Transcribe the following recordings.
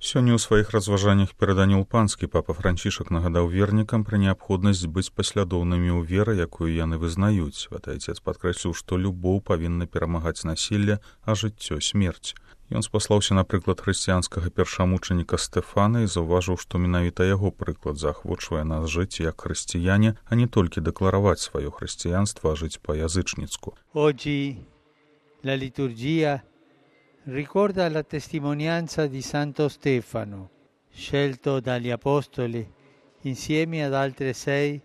Сёння ў сваіх разважаннях перад Анёл-Панскі папа Францішак нагадаў вернікам пра неабходнасць быць паслядоўнымі ў веры, якую яны вызнаюць. Святы Айцец падкрэсліў, што любоў павінна перамагаць насілле, а жыццё смерць. Ён спаслаўся на прыклад хрысціянскага першамучаніка Стэфана і заўважыў, што менавіта яго прыклад заахвочвае нас жыць як хрысціяне, а не толькі дэклараваць сваё хрысціянства, а жыць па-язычніцку. Oggi la liturgia ricorda la testimonianza di Santo Stefano, scelto dagli Apostoli insieme ad altre 6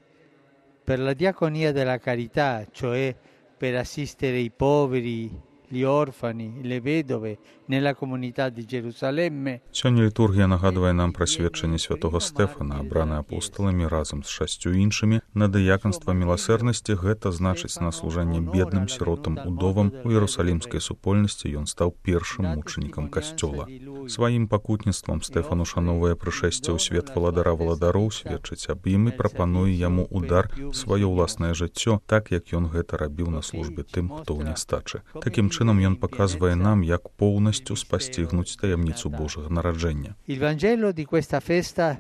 per la diaconia della carità, cioè per assistere i poveri, gli orfani, le vedove nella comunità di Gerusalemme. Сёння літургія нагадвае нам пра сведчанне святога Стэфана, абраны апостоламі разам з 6 іншымі на дыяканства міласэрнасці, гэта значыць на служэнне бедным, сіротам, удовам. У Іерусалімскай супольнасці ён стаў першым мучанікам касцёла. Сваім пакутніцтвам Стэфан ушановае прышэсце ў свет валадара валадароў, сведчыць аб ім і прапануе яму удар сваё ўласнае жыццё, так як ён гэта рабіў на службе тым, хто ў нястачы. Такім чынам ён паказвае нам, як поўнасцю спасцігнуць таямніцу Божага нараджэння. Il Vangelo di questa festa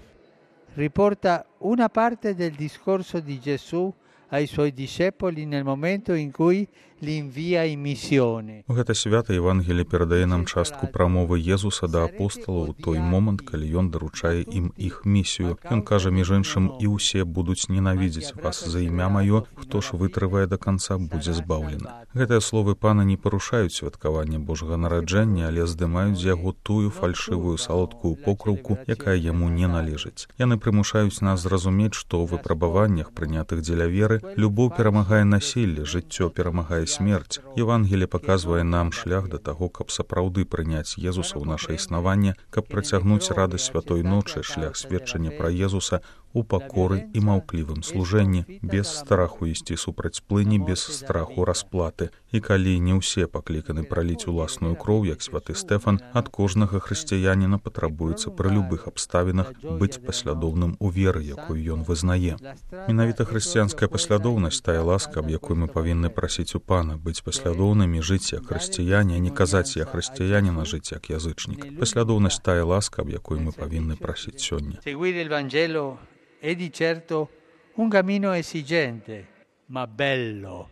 riporta una parte del discorso di Gesù ai suoi discepoli nel momento in cui li invia in missione. У гэта свята Евангелие перадае нам частку прамовы Езуса да апосталаў у той момант, калі ён даручае ім іх місію. Ён кажа, між іншым, і ўсе будуць ненавідзець вас за імя маё, хто ж вытрывае да канца, будзе збаўлены. Гэтыя словы пана не парушаюць святкаванне Божага нараджэння, але здымаюць з яго тую фальшывую салодкую покрыўку, якая яму не належыць. Яны прымушаюць нас зразумець, што ў выпрабаваннях, прынятых дзеля веры, любоў перамагае насілле, жыццё перамагае смерць. Евангелие паказвае нам шлях да таго, каб сапраўды прыняць Езуса ў наша існаванне, каб працягнуць радасць святой ночы, шлях сведчання пра Езуса у пакоры і маўклівым служэнні, без страху ісці супраць плыні, без страху расплаты. І калі не ўсе пакліканы праліць уласную кроў, як святы Стэфан, ад кожнага хрысціяніна патрабуецца пры любых абставінах быць паслядоўным у веры, якую ён вызнае. Менавіта хрысціянская паслядоўнасць тая ласка, аб якой мы павінны прасіць у пана, быць паслядоўнымі, жыць як хрысціяне, а не казаць я хрысціянін, а жыць як язычнік. Паслядоўнасць тая ласка, аб якой мы павінны прасіць сёння. È di certo un cammino esigente, ma bello,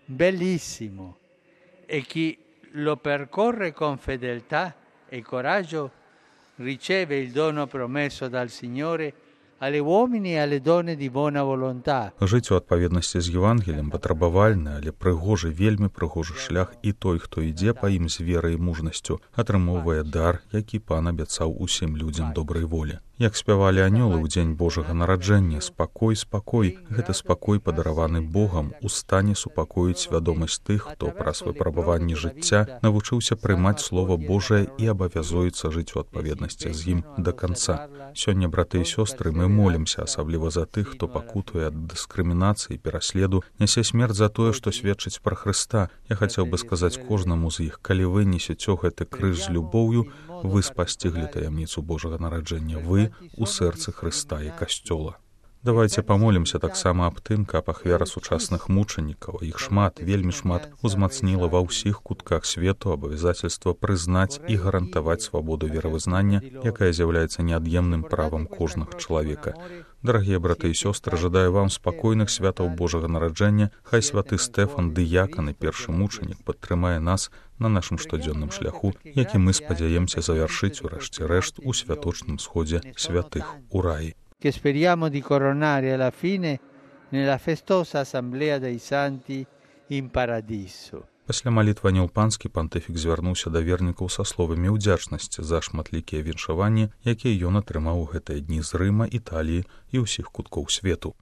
bellissimo. E chi lo percorre con fedeltà e coraggio riceve il dono promesso dal Signore alle uomini e alle donne di buona volontà. Жыць у адпаведнасці з Евангеліем патрабавальны, але прыгожы, вельмі прыгожы шлях, і той, хто ідзе па ім з верай і мужнасцю, атрымоўвае дар, які пан абяцаў усім людзям добрай волі. Як спявалі анёлы ў дзень Божага нараджэння, спакой, спакой, гэта спакой, падараваны Богам, у стане супакоіць свядомасць тых, хто праз выпрабаванні жыцця навучыўся прымаць Слова Божае і абавязуецца жыць у адпаведнасці з ім да канца. Сёння, браты і сёстры, мы молімся, асабліва за тых, хто пакутуе ад дыскрымінацыі, пераследу, нясе смерць за тое, што сведчыць пра Хрыста. Я хацеў бы сказаць кожнаму з іх, калі вы несеце гэты крыж з любоўю, вы спасціглі таямніцу Божага нараджэння, вы у сэрцы Хрыста і касцёла. Давайце памолімся таксама аб тым, каб ахвяра сучасных мучанікаў, іх шмат, вельмі шмат, узмацніла ва ўсіх кутках свету абавязательства прызнаць і гарантаваць свабоду веравызнання, якая з'яўляецца неад'емным правам кожнага чалавека. Дарагія браты і сёстры, жадаю вам спакойных святаў Божага нараджэння. Хай святы Стэфан, дыякан і першы мучанік, падтрымае нас на нашым штодзённым шляху, які мы спадзяемся завяршыць у рэшце рэшт у святочным сходзе святых у раі. Che speriamo di coronare alla fine nella festosa assemblea dei santi in paradiso. Пасля малітвы Анёл-Панскі пантыфік звярнуўся да вернікаў са словамі ўдзячнасці за шматлікія віншаванні, якія ён атрымаў у гэтыя дні з Рыма, Італіі і ўсіх куткоў свету.